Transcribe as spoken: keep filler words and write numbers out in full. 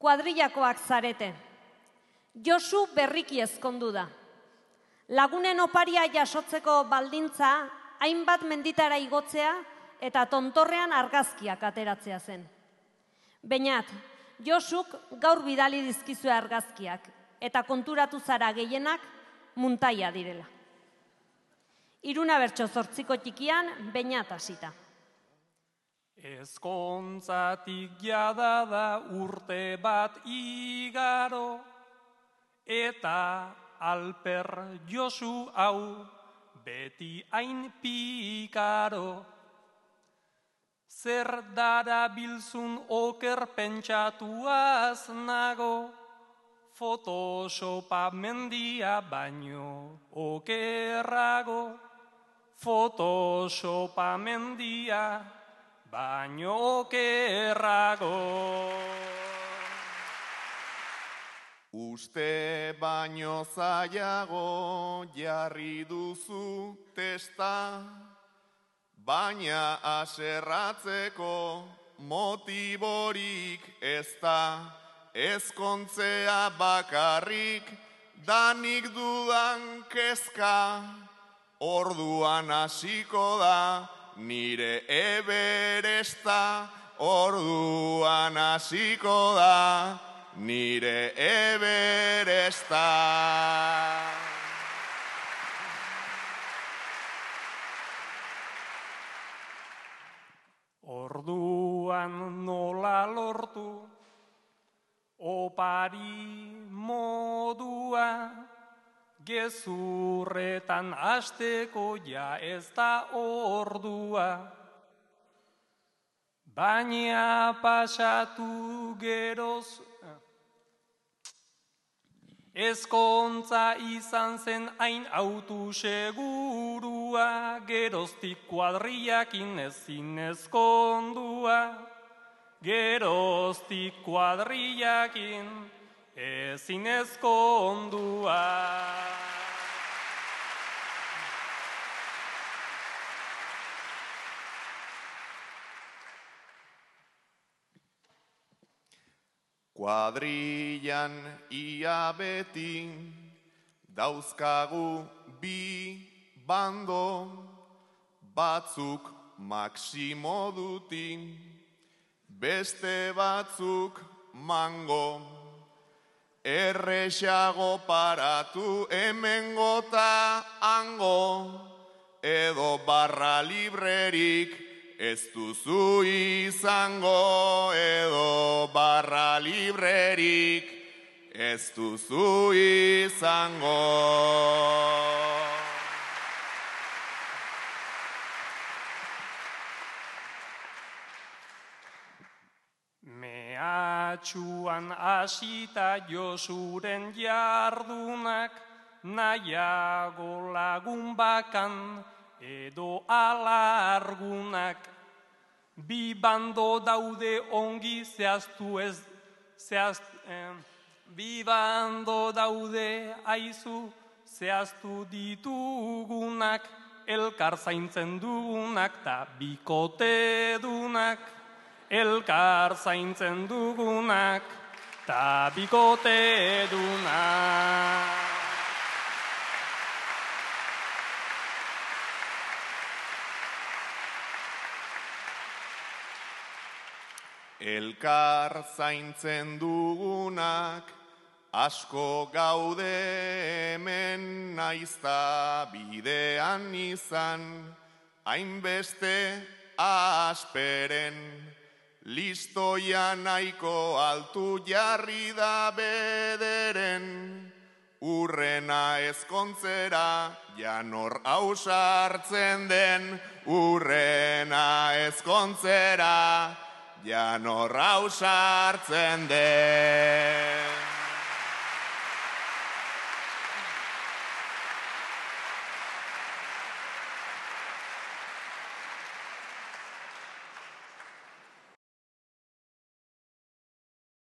kuadrillakoak zarete. Josu berriki ezkondu da. Lagunen oparia jasotzeko baldintza, hainbat menditara igotzea eta tontorrean argazkiak ateratzea zen. Beñat, Josuk gaur bidali dizkizue argazkiak eta konturatu zara gehienak muntaia direla. Iruna bertso zortziko txikian Beñat hasita. Ezkontzatik jada da urte bat igaro, eta Alper Josu hau beti hain pikaro. Zer dara bilzun oker pentsatuaz nago, Photoshopa mendia baino okerrago. Photoshopa mendia baino okerrago. Uste baino zailago jarri duzu testa, baina aserratzeko motiborik ez da. Ezkontzea bakarrik danik dudan kezka, orduan hasiko da nire Everesta, orduan hasiko da nire Everesta. Orduan nola lortu opari modua, gezurretan hasteko ja ez da ordua. Baina pasatu geroz, ezkontza izan zen hain autu segurua, geroztik kuadrillakin ezin ezkondua. Geroztik kuadrillakin ezin ezkondua. Kuadrillan ia beti dauzkagu bi bando, batzuk Maximodutin, beste batzuk mango. Errexago paratu hemengota hango, edo barra librerik ez duzu izango, edo barra librerik ez duzu izango. Mehatxuan hasita Josuren jardunak, nahiago lagun bakan edo alargunak. Bi bando daude ongi zehaztu ez, zehaztu, eh, bi bando daude aizu zehaztu ditugunak, elkar zaintzen dugunak ta bikote dunak. Elkar zaintzen dugunak ta bikote dunak. Elkar zaintzen dugunak asko gaude hemen, naizta bidean izan hainbeste asperen. Listoia nahiko altu jarri da bederen, urrena ezkontzera janor ausartzen den, urrena ezkontzera janor ausartzen den.